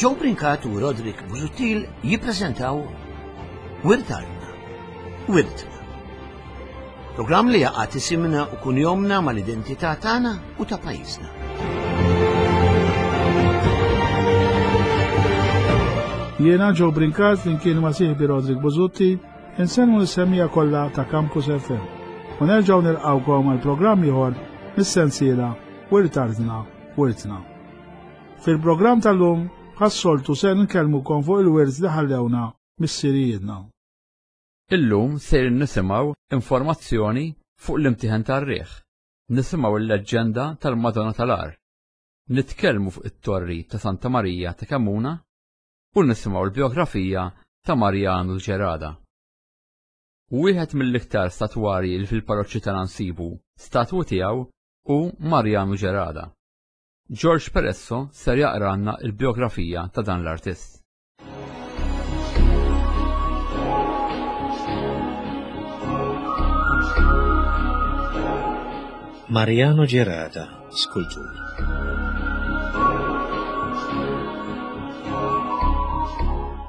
Joe Brincat u Roderick Busuttil jippreżentaw Wirt Artna, Wirtna. Programm li jaqgħad isimna u kunjomna mal-identità tagħna u ta' pajjiżna. Jiena Joe Brincat flimkien ma' sieħbi Roderick Buzutti insenmu l-semmija kollha ta' Campus FM. U nerġgħu nilqgħukom għal programm ieħor mis-sensiela Wirt Artna, Wirtna. Fil-programm tal-lum, bħas-soltu se nkellmukom fuq il-wirt li ħallewna missirijietna. Illum sejrin nisimgħu informazzjoni fuq l-imtieħen tar-riħ, nisimgħu l-leġġenda tal-Madonna tal-Għar, nitkellmu fuq it-Torri ta' Santa Marija ta' Kemmuna u nisimgħu l-bijografija ta' Marjanu Gerada. Wieħed mill-iktar statwarji li fil-parroċċi tagħna nsibu statwu tiegħu hu Marjanu Gerada. George Peresso ser jaqralna l-bijografija ta' dan l-artist. Mariano Gerada, skultur.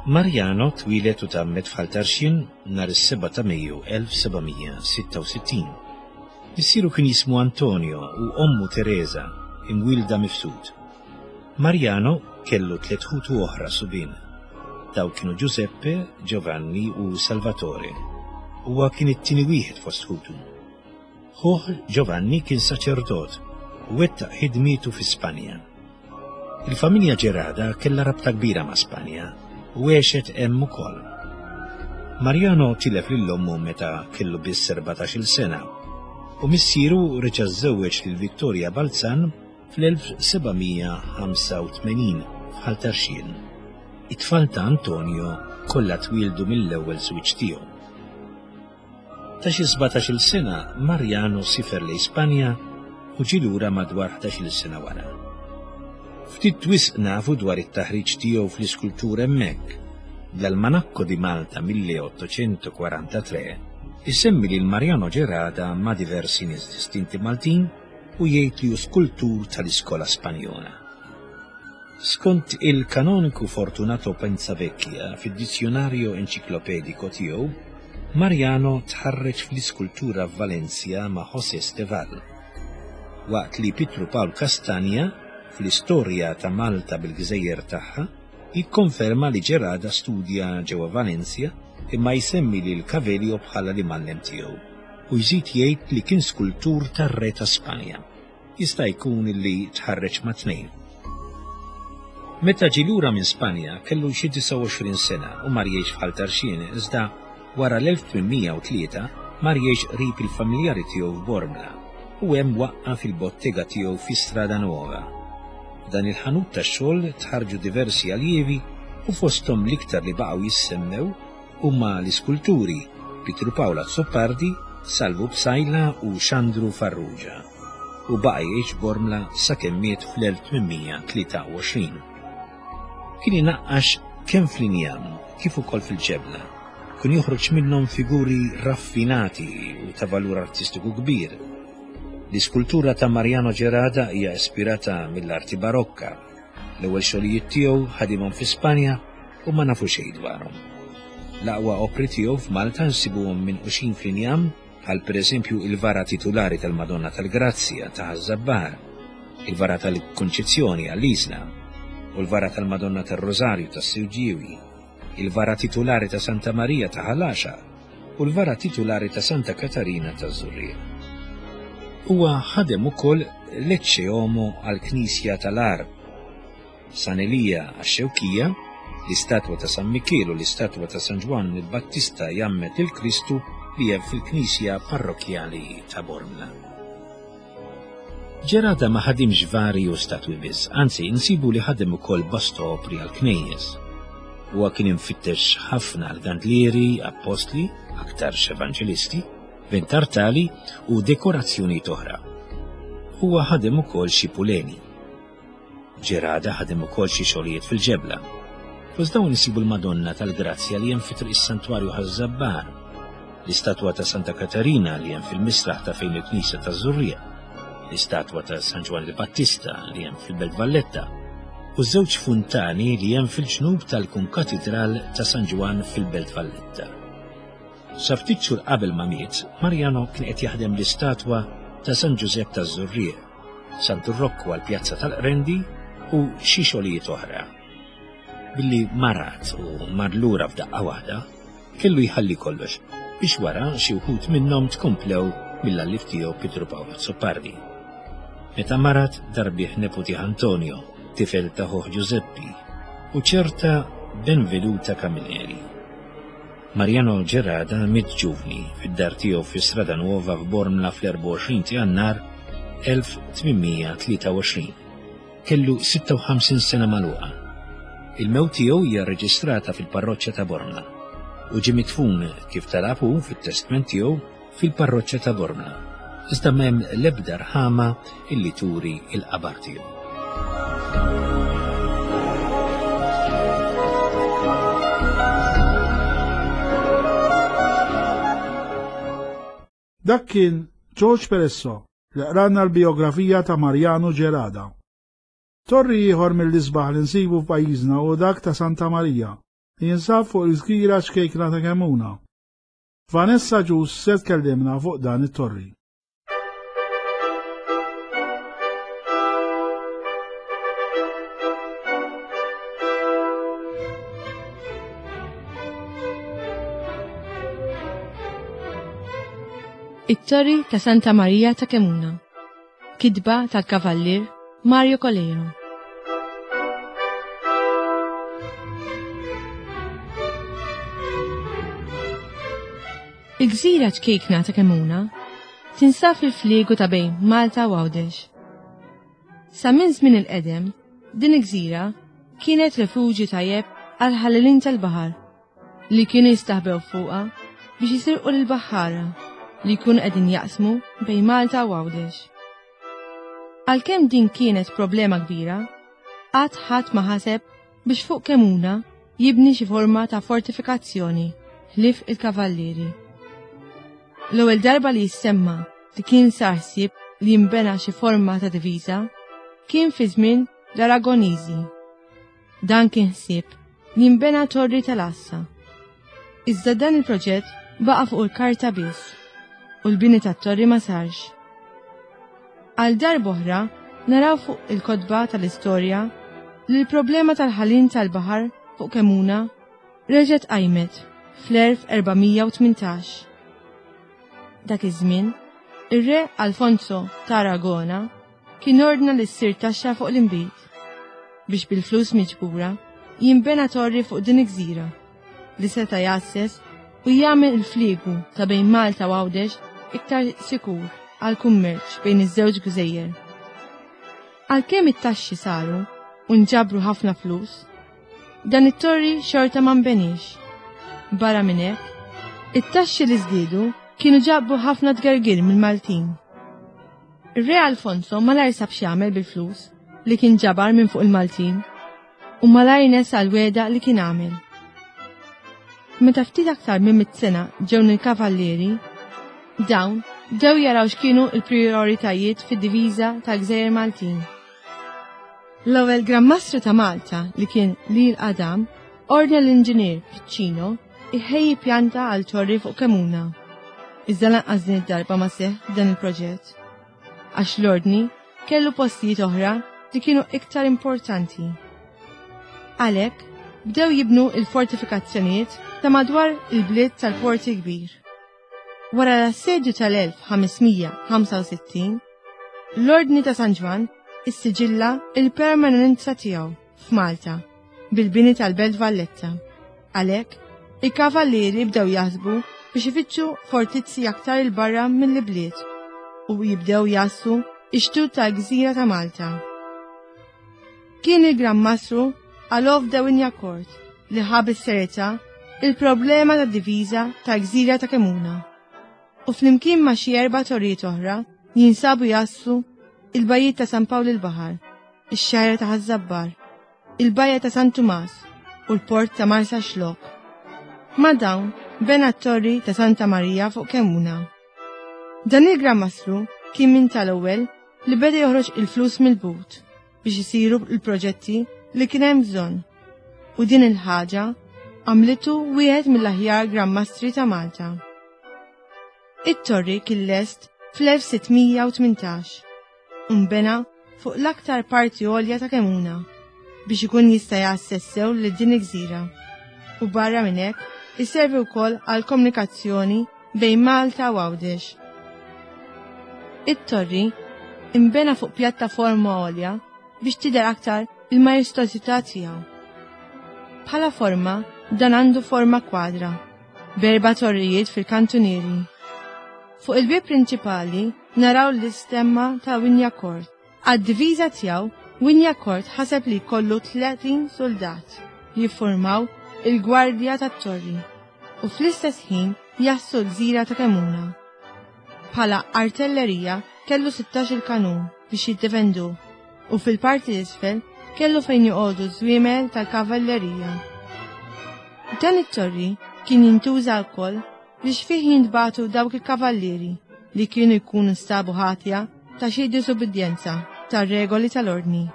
Mariano twieled u tgħammed f'Ħal Tarxien nhar is-7 ta' Mejju 1766. Missieru kien jismu Antonio u ommu Teresa, imwielda Mifsud. Mariano kellu tliet ħutu oħra subien. Dawn kienu Giuseppe, Giovanni u Salvatore. Huwa kien it-tieni wieħed fost ħutu. Ħuh Giovanni kien saċerdot u wettaq ħidmietu fi Spanja. Il-familja Gerada kellha rabta kbira ma' Spanja u għexet hemm ukoll. Mariano tilef lil ommu meta kellu biss 14-il sena u missieru reġa' żżewweġ lil Victoria Balzan fl-1785 f'Ħal Tarxien. It-tfal ta' Antonio kollha twieldu mill-ewwel żwieġ tiegħu. Ta' xi 17-il sena, Mariano sifer lejn Spanja u ġie lura madwar 11-il sena wara. Ftit wisq nafu dwar it-taħriġ tiegħu fl-iskultura hemmhekk. L-Almanacco di Malta 1843 isemmi lil Mariano Gerada ma' diversi nies distinti Maltin u jgħid li hu skultur tal-iskola Spanjola. Skont il-Kanoniku Fortunato Pensavecchia fid-Dizionario Enciclopedico tiegħu, Mariano tħarreġ fl-iskultura f'Valencia ma' José Esteval, waqt li Pietru Pawl Castagna, fl-Istorja ta' Malta bil-Gżejjer tagħha, jikkonferma li Gerada studja ġewwa Valencia imma jsemmi lil Cavelio bħala l-imgħallem tiegħu u jżid jgħid li kien skultur tar-Re ta' Spanja. Jista' jkun li tħarreġ mat-tnejn. Meta ġie lura minn Spanja kellu xi 29 sena u mar jgħix f'Ħal Tarxien iżda wara l-1803 mar jgħix qrib il-familjari tiegħu f'Bormla u hemm waqqaf il-bottega tiegħu fi Strada Nuova. F'dan il-ħanut tax-xogħol tħarrġu diversi aljievi u fosthom l-iktar li baqgħu jissemmew huma l-iskulturi Pietru Pawl Azzopardi, Salvu Psaila u Xandru Farrugia. U baqa' jgħix Bormla sakemm miet fl-1823. Kien inaqqax kemm fl-injam kif ukoll fil-ġebla. Kien joħroġ minnhom figuri raffinati u ta' valur artistiku kbir. L-iskultura ta' Mariano Gerada hija ispirata mill-arti barokka. L-ewwel xogħlijiet tiegħu ħadimhom fi Spanja u ma nafu xejn dwarhom. L-aqwa opri tiegħu f'Malta nsibuhom minquxin fl-injam bħal pereżempju il-vara titulari tal-Madonna tal-Grazzja ta' Ħaż-Żabbar, il-vara tal-Kunċizzjoni għall-Isla u l-vara tal-Madonna tar-Rożarju tas-Siġġiewi, il-vara titulari ta' Santa Marija ta' Ħal Għaxaq u l-vara titulari ta' Santa Katarina taż-Żurrieq. Huwa ħadem ukoll l-Ecce Homo għall-Knisja tal-Għarb, San Elija għax-Xewkija, l-istatwa ta' San Mikiel u l-istatwa ta' San Ġwann il-Battista jgħammed lil Kristu li hemm fil-knisja parrokkjali ta' Bormla. Gerada ma ħadimx vari u statwi biss, anzi insibu li ħadem ukoll bosta opri għal knejjes. Huwa kien imfittex ħafna għal gandlieri, appostli, aktarx evanġelisti, ventartali u dekorazzjonijiet oħra. Huwa ħadem ukoll xi puleni. Gerada ħadem ukoll xi xogħlijiet fil-ġebla. Fost dawn insibu l-Madonna tal-Grazzja li hemm fi Triq is-Santwarju Ħaż-Żabbar, l-istatwa ta' Santa Katarina li hemm fil-misraħ ta' fejn il-Knisja taż-Żurrieq, l-istatwa ta' San Ġwann il-Battista li hemm fil-Belt Valletta. u żewġ funtani li hemm fil-ġnub tal-Kunkatidral ta' San Ġwann fil-Belt Valletta. Sa ftit xhur qabel ma miet, Mariano kien qed jaħdem l-istatwa ta' San Ġużepp taż-Żurrieq, Santu Rokku għall-Pjazza tal-Qrendi u xi xogħlijiet oħra. Billi marad u mar lura f'daqqa waħda, kellu jħalli kollox biex wara xi wħud minnhom tkomplew mill-alliev tiegħu Pietru Pawl Azzopardi. Meta marad dar bih neputih Antonio, tifel ta' ħuh Ġużeppi, u ċerta Benvenuta Camilleri. Mariano Gerada miet ġuvni fid-dar tiegħu fi Strada Nuova f'Bormla fl-24 ta' Jannar 1823. Kellu 56 sena magħluqa. Il-mewt tiegħu hija rreġistrata fil-parroċċa ta' Bormla u ġie midfun kif talab hu fit-testment tiegħu fil-parroċċa ta' Bormla. Iżda m'hemm l-ebda rħama illi turi l-qabar tiegħu. Dak kien George Peresso li qralna l-bijografija ta' Mariano Gerada. Torri ieħor mill-isbaħ li nsibu f'pajjiżna hu dak ta' Santa Marija, li jinsab fuq il-gżira ċkejkna ta' Kemmuna. Vanessa Ġus se tkellimna fuq dan it-torri. It-Torri ta' Santa Marija ta' Kemuna. Kitba tal-Kavallier Mario Coleiro. Il-gżira ċkejkna ta' Kemuna tinsab fil-fliegu ta' bejn Malta u Għawdex. Sa minn żmien il-qedem, din il-gżira kienet refuġju tajjeb għal ħallelin tal-baħar li kienu jistaħbew fuqha biex jisirqu lill-baħħara li jkunu qegħdin jaqsmu bejn Malta u Għawdex. Għalkemm din kienet problema kbira, qatt ħadd ma ħaseb biex fuq Kemuna jibni xi forma ta' fortifikazzjoni ħlief il-kavallieri. L-ewwel darba li jissemma li kien sar ħsieb li jinbena xi forma ta' diviża kien fi żmien l-Aragoniżi. Dan kien ħsieb li jinbena torri tal-għassa. Iżda dan il-proġett baqa' fuq il-karta biss u l-bini tat-torri ma sarx. Għal darb'oħra naraw fuq il-kotba tal-istorja li l-problema tal-ħalin tal-baħar fuq Kemuna reġgħet qajmet fl-1418. Dak iż-żmien, ir-re Alfonso ta' Aragona kien ordna li ssir taxxa fuq l-inbid biex bil-flus miġbura jinbena torri fuq din il-gżira li seta' jgħasses u jagħmel il-fliegu ta' bejn Malta u Għawdex iktar sikur għall-kummerċ bejn iż-żewġ gżejjer. Għalkemm it-taxxi saru u nġabru ħafna flus, dan it-torri xorta ma nbeniex. Barra minn hekk, it-taxxi li żdiedu kienu ġabu ħafna tgergir mill-Maltin. Ir-Re Alfonso malajr sab x'jagħmel bil-flus li kien ġabar minn fuq il-Maltin u malajr nesa l-wegħda li kien għamel. Meta ftit aktar minn mit sena ġew il-kavallieri, dawn bdew jaraw x'kienu l-prijoritajiet fid-diviża tal-Gżejjer Maltin. L-ewwel Gran Mastru ta' Malta li kien Lil Adam ordna l-inġinier Piccino iħejji pjanta għal torri fuq Kemuna. Iżda lanqas din id-darba ma seħħ dan il-proġett. Għax l-ordni kellu postijiet oħra li kienu iktar importanti. Għalhekk bdew jibnu il-fortifikazzjonijiet ta' madwar il-bliet tal-Porti Kbir. Wara l-assedju tal-1565, l-Ordni ta' San Ġwann issiġilla il-permanenza tiegħu f'Malta bil-bini tal-Belt Valletta. Għalhekk, il-kavallieri bdew jaħsbu biex ifittxu fortizzi aktar 'il barra mill-ibliet u jibdew jgħassu x-xtut tal-gżira ta' Malta. Kien il-Gran Mastru Alof de Wignacourt li ħa bis-serjetà il-problema tad-diviża tal-gżira ta' Kemuna u flimkien ma' xi erba' torrijiet oħra li jinsabu jgħassu il-bajjiet ta' San Pawl il-Baħar, ix-xgħajra ta' Ħaż-Żabbar, il-bajja ta' San Tumas u l-port ta' Marsaxlokk. Ma' dawn bena t-torri ta' Santa Marija fuq Kemuna. Dan il-Gran Mastru kien minn tal-ewwel li beda joħroġ il-flus mill-but biex isiru l-proġetti li kien hemm bżonn u din il-ħaġa għamlitu wieħed mill-aħjar Gran Mastri ta' Malta. It-torri kien lest fl-1618 u nbena fuq l-aktar parti għolja ta' Kemuna biex ikun jista' jgħasses sew lil din il-gżira u barra minn hekk iservi wkoll għal komunikazzjoni bejn Malta u Għawdex. It-torri imbena fuq pjattaforma għolja biex tidher aktar il-majestożità tiegħu. Bħala forma, dan għandu forma kwadra, b'erba' torrijiet fil-kantunieri. Fuq il-bieb prinċipali naraw l-istemma ta' Wignacourt. Għad-diviża tiegħu, Wignacourt ħaseb li jkollu 30 suldat li jiffurmaw il-gwardja tat-torri u fl-istess ħin jassu l-gżira ta' Kemuna. Bħala artellerija kellu 16-il kanun biex jiddefenduh u fil-parti l-isfel kellu fejn joqogħdu ż-żwiemel tal-kavallerija. Dan it-torri kien jintuża wkoll biex fih jintbagħtu dawk il-kavallieri li kienu jkunu nstabu ħatja ta' xi diżubbidjenza tar-regoli tal-ordni.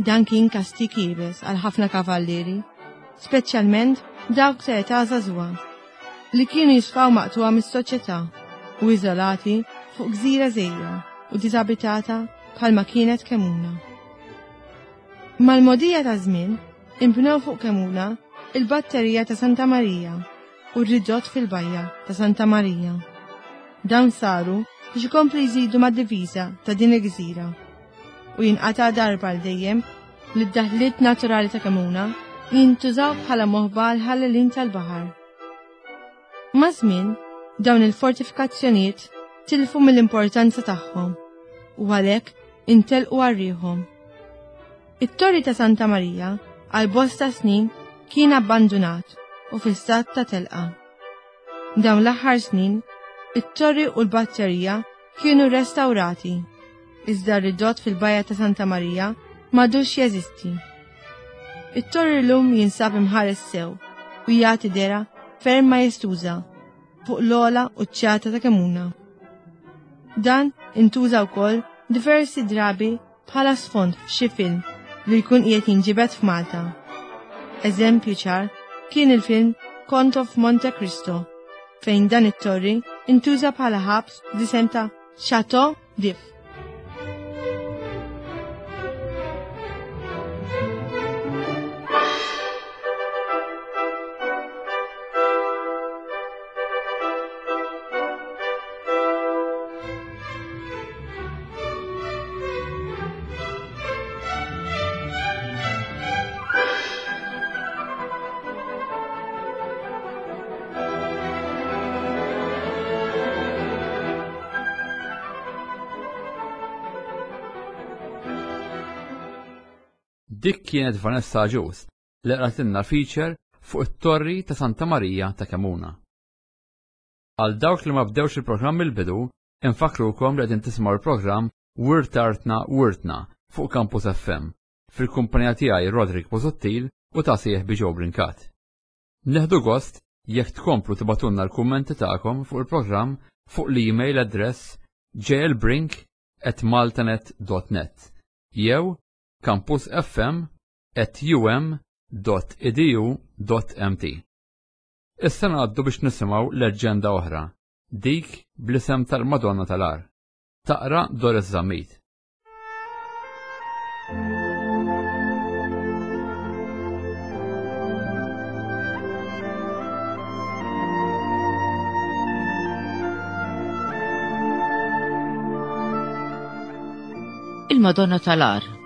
Dan kien kastig iebes għal ħafna kavallieri, speċjalment dawk ta' età żagħżugħa, li kienu jisfaw maqtugħa mis-soċjetà u iżolati fuq gżira żgħira u diżabitata bħalma kienet Kemuna. Mal-mogħdija taż-żmien, inbnew fuq Kemuna il-batterija ta' Santa Marija u r-ridott fil-bajja ta' Santa Marija. Dawn saru biex ikomplu jżidu mad-diviża ta' din il-gżira u jinqata' darba għal dejjem li d-daħliet naturali ta' Kemuna jintużaw bħala moħba għal ħallelin tal-baħar. Maż-żmien, dawn il-fortifikazzjonijiet tilfu mill-importanza tagħhom u għalhekk intelqu għarrieħhom. It-Torri ta' Santa Marija għal bosta snin kien abbandunat u fi stat ta' telqa. Dawn l-aħħar snin, it-torri u l-batterija kienu restawrati, iżda r-ridott fil-Bajja ta' Santa Marija m'għadux jeżisti. It-torri llum jinsab imħares sew u jagħti dehra ferm majestuża fuq l-ogħla quċċata ta' Kemuna. Dan intuża wkoll diversi drabi bħala sfond f'xi film li jkun qiegħed jinġibed f'Malta. Eżempju ċar kien il-film Count of Monte Cristo fejn dan it-torri intuża bħala ħabs bl-isem ta' Chateau d'If. Dik kienet Vanessa Agius li qratilna feature fuq it-Torri ta' Santa Marija ta' Kemuna. Għal dawk li ma bdewx il-programm mill-bidu, infakkrukom li qegħdin tisimgħu l-programm Wirt Artna Wirtna fuq Campus FM, fil-kumpanija tiegħi Roderick Busuttil u ta' sieħbi Joe Brincat. Nieħdu gost jekk tkomplu tibgħatulna l-kummenti tagħkom fuq il-programm fuq l-email address jlbrink at maltanet dot net jew campusfm at um dot edu dot mt. Issa ngħaddu biex nisimgħu leġġenda oħra, dik bl-isem tal-Madonna tal-Għar. Taqra Doris Zammit. Il-Madonna tal-Għar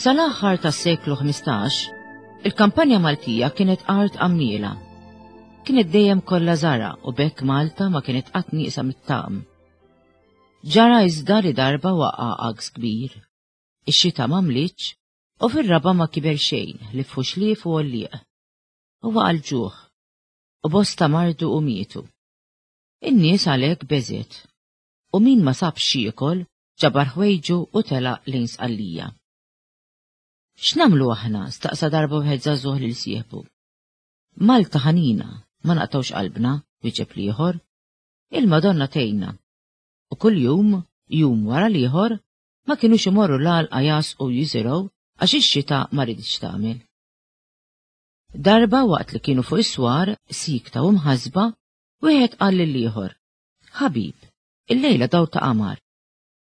Sal-aħħar tas-seklu 15, il-kampanja Maltija kienet art għammiela. Kienet dejjem kollha żara u bekk Malta ma kienet qatt nieqsa mit-tagħam. Ġara iżda li darba waqa' għaks kbir. Ix-xita ma mlitx u fir-raba' ma kiber xejn li f'ħuxlief u għollieq. U waqa' l-ġuħ. U bosta mardu u mietu. In-nies għalhekk beżgħet, u min ma sabx x'jiekol ġabar ħwejġu u telaq lejn Sqallija. X'nagħmlu aħna? staqsa darba wieħed żagħżugħ lil sieħbu. Malta ħanina, ma naqtgħux qalbna, wieġeb l-ieħor. Il-Madonna tgħinna. U kuljum, jum wara l-ieħor, ma kinux imorru l-għalqa jagħsqu jiżirgħu għax ix-xita ma riditx tagħmel. Darba waqt li kienu fuq is-swar, siekta u mħassba, wieħed qal lill-ieħor, Ħabib, illejla dawl ta' qamar.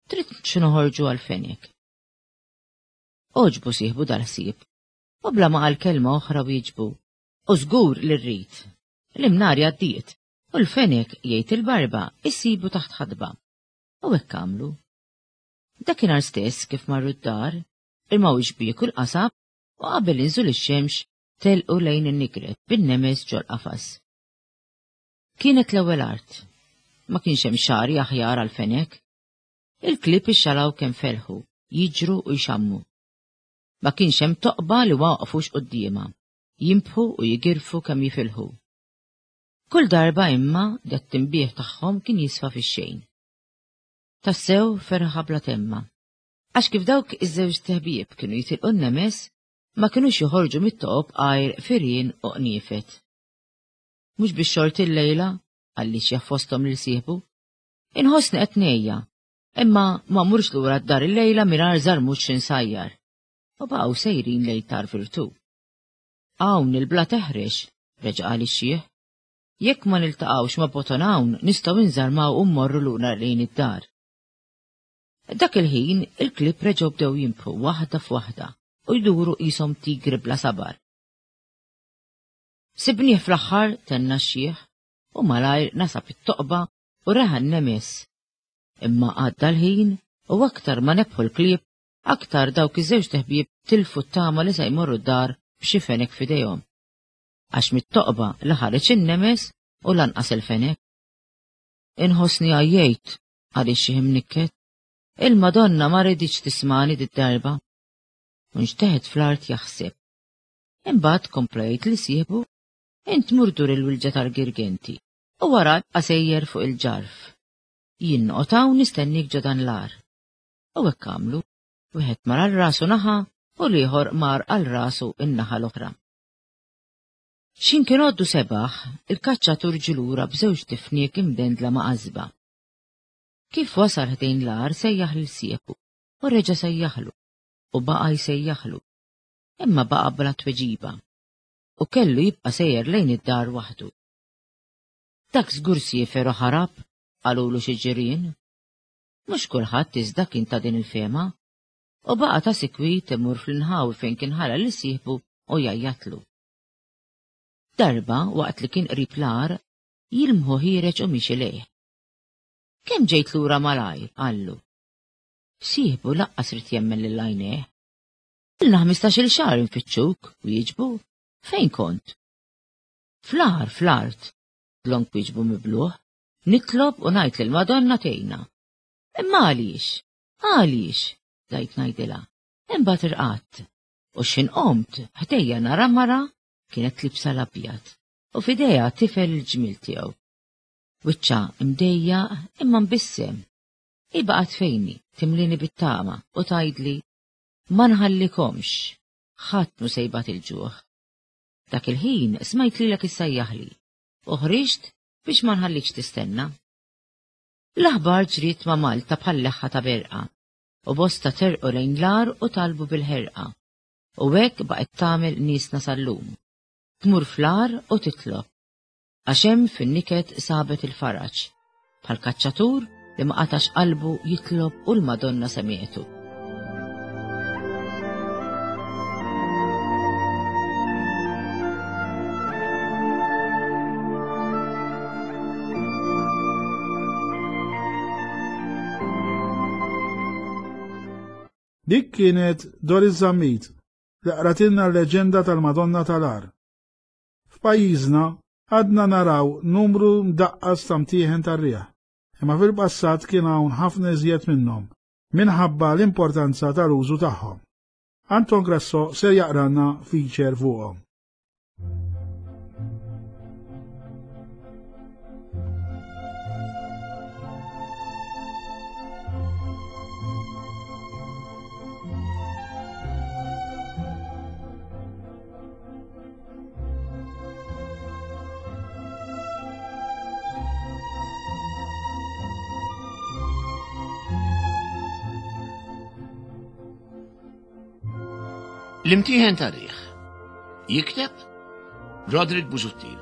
Trid xi noħorġu għall-fenek? Għoġbu sieħbu dal-ħsieb, u bla ma qal kelma oħra wieġbu, U żgur li rrid. L-imnari għaddiet, u l-fenek, jgħid il-barba, issibu taħt ħatba. U hekk għamlu. Dakinhar stess kif marru d-dar, irmaw ix-xbiek u l-qasab u qabel inżul ix-xemx telqu lejn in-Nigret bin-nemes ġol-qafas. Kienet l-ewwel art. Ma kienx hemm xagħri aħjar għall-fenek. Il-klieb ixxalaw kemm felħu, jiġru u jxammu. Ma kienx hemm toqba li ma waqfux quddiemha, jinbħu u jigirfu kemm jifilħu. Kull darba imma dat-tinbieħ tagħhom kien jisfa fix-xejn. Tassew ferħa bla temma. Għax kif dawk iż-żewġ teħbieb kienu jitilqu n-nemes, ma kinux joħorġu mit-toqob għajr firien u qniefet. Mhux bix-xorti llejla, qalli xjaħ fosthom lil sieħbu. Inħossni qed ngħejja, imma ma mmurx lura d-dar illejla mingħajr żarmut xi nsajjar. U baqgħu sejrin lejn Tar Virtù. Hawn il-blat eħrex, reġa' qal ix-xiħ. Jekk ma niltaqgħux ma' Boton hawn nistgħu nżarmaw u mmorru lura lejn id-dar. Dak il-ħin il-klieb reġgħu bdew jinbħu waħda f'waħda u jduru qishom tigri bla sabar. Sibnieh fl-aħħar, tenna x-xiħ, u malajr nasab it-toqba u reħa n-nemes. Imma għadda l-ħin u aktar ma nebħu l-klieb, aktar dawk iż-żewġt iħbieb tilfu t-tama li se jmorru d-dar b'xi fenek f'idejhom. Għax mit-toqba la ħareġ in-nemes u lanqas il-fenek. Inħossni għajjejt, qal ix-xiħ imnikket. Il-Madonna ma riditx tismagħni did-darba. U nxteħet fl-art jaħseb. Imbagħad kompla jgħid li sieħbu, Int mur dur il-wilġa tal-Girgenti u wara ibqa' sejjer fuq il-ġarf. Jien noqgħod hawn nistennik ġo dan l-għar. U hekk għamlu, wieħed mar għal rasu naħa u l-ieħor mar għal rasu n-naħa l-oħra. X'ħin kien għoddu sebaħ, il-kaċċatur ġie lura b'żewġ tifniek imdendla ma' qasba. Kif wasal ħdejn l-għar sejjaħ lil sieħbu u reġa' sejjaħlu u baqa' jsejjaħlu. Imma baqa' bla tweġiba u kellu jibqa' sejjer lejn id-dar waħdu. Dak żgur siefer u ħarab, qalulu xi ġirien. Mhux kulħadd iżda kien ta' din il-fehma u baqa' ta' sikwit imur fl-inħawi fejn kien ħalla lil sieħbu u jgħajjatlu. Darba, waqt li kien qrib l-għar, jilmħu ħiereġ u miexi lejh. Kemm ġejt lura malajr, qallu. Sieħbu laqqas ried jemmen lil għajnejh. Ilna ħmistax-il xahar infittxuk, wieġbu. Fejn kont? Fl-għar, fl-art, dlonk wieġbu mibluh. Nitlob u ngħid lill-Madonna tgħinna. Imma għaliex? Għaliex? Bdajt ngħidilha. Imbagħad irqadt. U x'ħin qomt, ħdejja nara mara kienet libsa l-abjad u f'idejha tifel il-ġmiel tiegħu. Wiċċha imdejjaq imma mbissem. Hi baqgħet fejni, timlini bit-tama u tgħidli, Ma nħallikomx, ħadd mhu se jbati l-ġuħ. Dak il-ħin smajt lilek issejjaħli u ħriġt biex ma nħallikx tistenna. L-aħbar ġriet ma' Malta bħal leħħa ta' berqa u bosta terqu lejn l-għar u talbu bil-ħerqa. U hekk baqgħet tagħmel niesna sal-lum. Tmur fl-għar u titlob. Għax hemm fin-niket sabet il-faraġ. Bħal kaċċatur li ma qatax qalbu jitlob u l-Madonna semietu. Dik kienet Doris Zammit li qratilna l-leġenda tal-Madonna tal-Għar. F'pajjiżna għadna naraw numru mdaqqas ta' mtieħen tar-riħ, imma fil-passat kien hawn ħafna iżjed minnhom minħabba l-importanza tal-użu tagħhom. Anton Grasso ser jaqralna feature fuqhom. L-imtieħen tar-riħ. Jikteb Roderick Busuttil.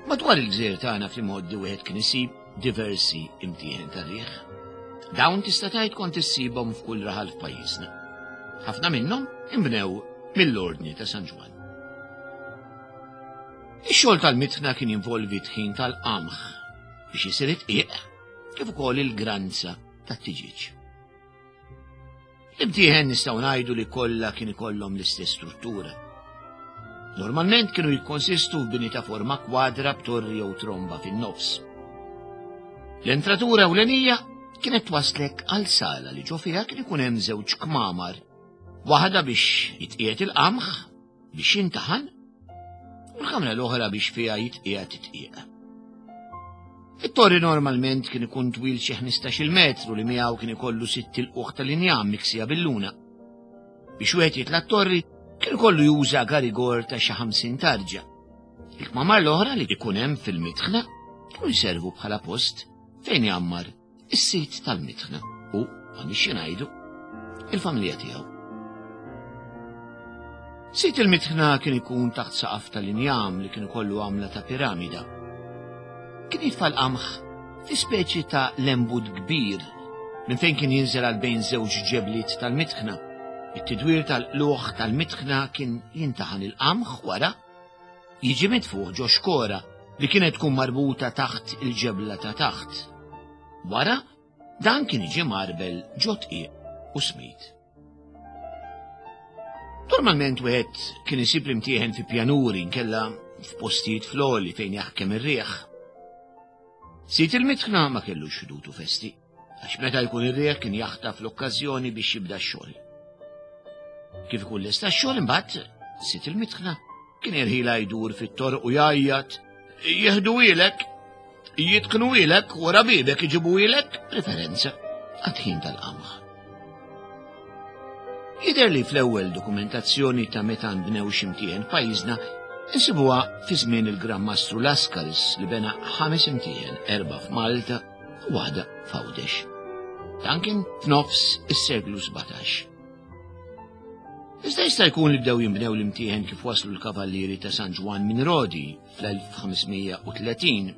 Madwar il-gżejjer tagħna fl-imgħoddi wieħed kien isib diversi imtieħen tar-riħ. Dawn tista' tgħid kont issibhom f'kull raħal f'pajjiżna. Ħafna minnhom inbnew mill-Ordni ta' San Ġwann. Ix-xogħol tal-mitħna kien jinvolvi tħin tal-qamħ biex isir it-tqiq kif ukoll il-granza tat-tiġieġ. L-imtieħen nistgħu ngħidu li kollha kien ikollhom l-istess struttura. Normalment kienu jikkonsistu f'bini ta' forma kwadra b'torri jew tromba fin-nofs. L-entratura ewlenija kienet twaslek għal sala li ġo fiha kien ikun hemm żewġ kmamar, waħda biex jitqiegħed il-qamħ biex jintaħan u l-kamra l-oħra biex fiha jitqiegħed it-tqiegħ. It-torri normalment kien ikun twil xi 15-il metru li miegħu kien ikollu sitt ilquħ tal-injam miksija bil-luna. Biex wieħed jitla' t-torri kien ikollu juża garigor ta' xi 50 tarġa. Il-kmamar l-oħra li jkun hemm fil-mitħna kienu jservu bħala post fejn jgħammar is-sid tal-mitħna u, m'għandniex xi ngħidu, il-familja tiegħu. Sid il-mitħna kien ikun taħt saqaf tal-injam li kien ikollu għamla ta' piramida. Kien jitfa' l-qamħ fi speċi ta' lembut kbir minn fejn kien jinżel għal bejn żewġ ġebliet tal-mitħna. It-tidwir tal-qluħ tal-mitħna kien jintaħan il-qamħ wara jiġi mitfuħ ġo xkora li kienet tkun marbuta taħt il-ġebla ta' taħt. Wara, dan kien jiġi marbel ġo tqiq u smid. Normalment wieħed kien isib l-imtieħen fi pjanuri nkella f'postijiet floli fejn jaħkem ir-riħ. Sit il-mitħna ma kellux ħdud u festi. Għax meta jkun ir-riħ kien jaħtaf l-okkażjoni biex jibda x-xogħol. Kif ikun lesta x-xogħol imbagħad sit il-mitħna kien irħila jdur fit-torq u jgħajjat jieħdu ilek, jitqnu ilek, wara bibek iġibu ilek, preferenza għat-tħin tal-qamħ. Jidher li fl-ewwel dokumentazzjoni ta' meta nbnew xi mtieħen f'pajjiżna insibuha fi żmien il-Gran Mastru Lascaris li bena ħames imtieħen, erba' f'Malta u waħda f'Għawdex. Dan kien f'nofs is-seklu 17. Iżda jista' jkun li bdew jinbnew l-imtieħen kif waslu l-kavallieri ta' San Ġwann minn Rodi fl-1530.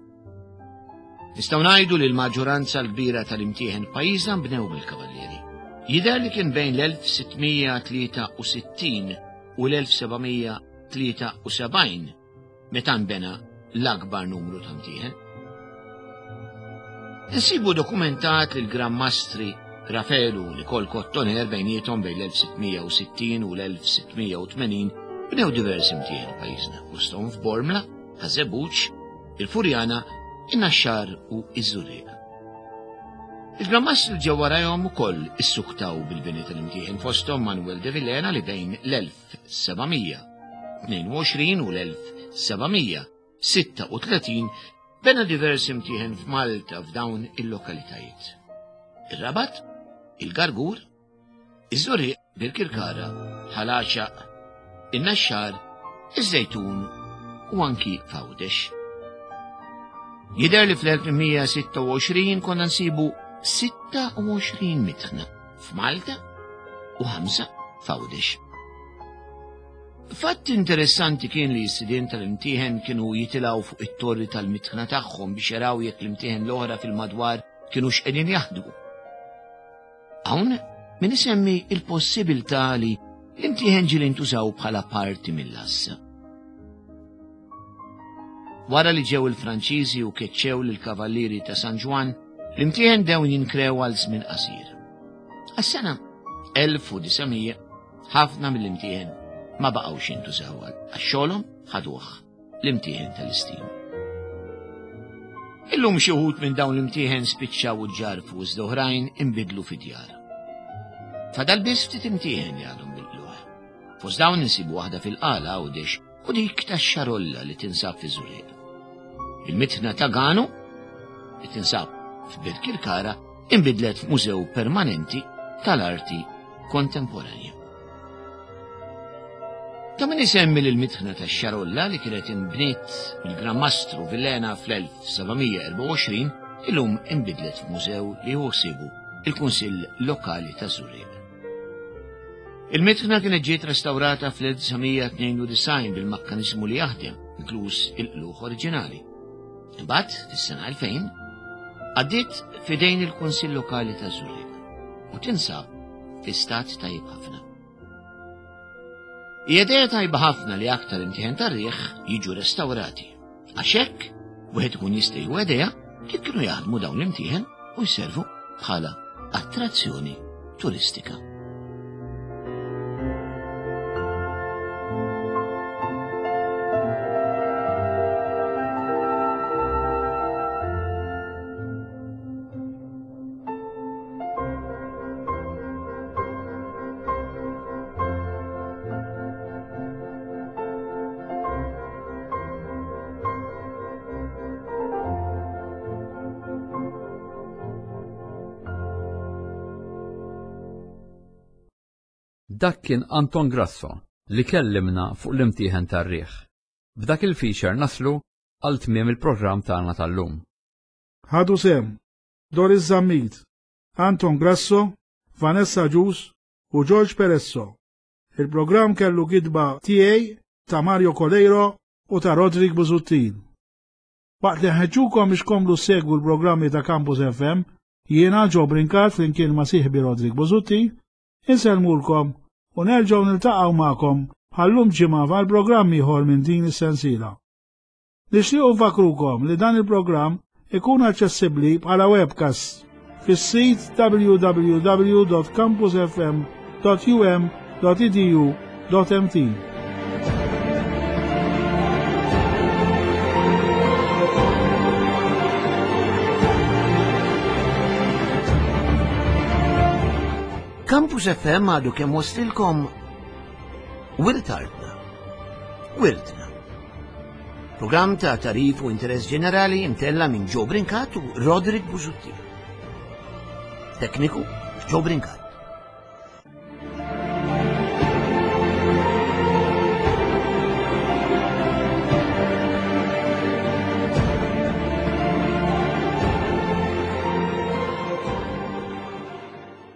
Nistgħu ngħidu li l-maġġoranza l-kbira tal-imtieħen f'pajjiżna nbnew mill-kavallieri. Jidher li kien bejn l-1663 u l-1773 meta nbena l-akbar numru ta' mtieħen. Insibu dokumentat li l-Gran Mastri Rafelu u Nikol Kottoner bejniethom bejn l-1660 u l-1680 bnew diversi mtieħen pajjiżna, fosthom f'Bormla, Ħaż-Żebbuġ, il-Furjana, in-Naxxar u iż-Żurrieq. Il-Gran Mastri ġew warajhom ukoll issuktaw bil-bini tal-imtieħen fosthom Manuel de Villena li bejn l-1000 1722 u l-1736 bena diversi mtieħen f'Malta f'dawn il-lokalitajiet. Ir-Rabat, il-Gargur, iż-Żurrieq, Birkirkara, Ħal Għaxaq, in-Naxxar, iż-Żejtun u anki f'Għawdex. Jidher li fl-1826 konna nsibu 26 mitħna f'Malta u ħamsa f'Għawdex. Fatt interessanti kien li s-sidien tal-imtieħen kienu jitilgħu fuq it-torri tal-mitħna tagħhom biex jaraw jekk l-imtieħen l-oħra fil-madwar kienu x'qegħdin jaħdmu. Hawn min isemmi il-possibilità li l-imtieħen ġieli ntużaw bħala parti mill-assa. Wara li ġew il-Franċiżi u keċċew lill-Kavallieri ta' San Ġwann, l-imtieħen bdew jinkrew għal żmien qasir. Għas-sena 1900 ħafna mill-imtieħen ma baqgħux jintużaw għal xogħolhom ħaduh l-imtieħen tal-istim. Illum xi wħud minn dawn l-imtieħen spiċċaw u ġarfu iżda oħrajn inbidlu fi djar. Fadal biss ftit imtieħen li għadhom bil-qluħ. Fost dawn insibu waħda fil-Qala Għawdex u dik tax-Xarolla li tinsab fi Żurrieq. Il-mitħna ta' Ganu li tinsab f'Birkirkara inbidlet f'mużew permanenti tal-arti kontemporanja. Ta' min isemmi li l-mitħna tax-Xarolla li kienet inbniet mill-Gran Mastru Villena fl-1724 illum inbidlet f'mużew li jieħu ħsiebu il-Kunsill Lokali taż-Żurrieq. Il-mitħna kienet ġiet restawrata fl-1992 bil-makkaniżmu li jaħdem, inkluż il-qlugħ oriġinali. Imbagħad, fis-sena 2000, għaddiet f'idejn il-Kunsill Lokali taż-Żurrieq u tinsab fi stat tajjeb ħafna. Hija idea tajba ħafna li aktar imtieħen tar-riħ jiġu restawrati. Għax hekk wieħed ikun jista' jieħu idea kif kienu jaħdmu dawn l-imtieħen u jservu bħala attrazzjoni turistika. Dak kien Anton Grasso li kellimna fuq l-imtieħen tar-riħ. B'dak il-feature naslu għal tmiem il-programm tagħna tal-lum. Ħadu sehem Doris Zammit, Anton Grasso, Vanessa Agius u George Peresso. Il-programm kellu kitba tiegħi, ta' Mario Coleiro u ta' Roderick Busuttil. Waqt li nħeġġukom biex tkomplu ssegwu l-programmi ta' Campus FM, jiena Joe Brincat flimkien ma' sieħbi Roderick Busuttil, insellmulkom u nerġgħu niltaqgħu magħkom bħal-lum ġimgħa għal programm ieħor minn din is-sensiela. Nixtiequ nfakkrukom li dan il-programm ikun aċċessibbli bħala webcast fis-sit www.campusfm.um.edu.mt. Campus FM għadu kemm waslilkom Wirt Artna. Wirtna. Programm ta' tarif u interess ġenerali imtella minn Joe Brincat u Roderick Busuttil. Tekniku Joe Brincat.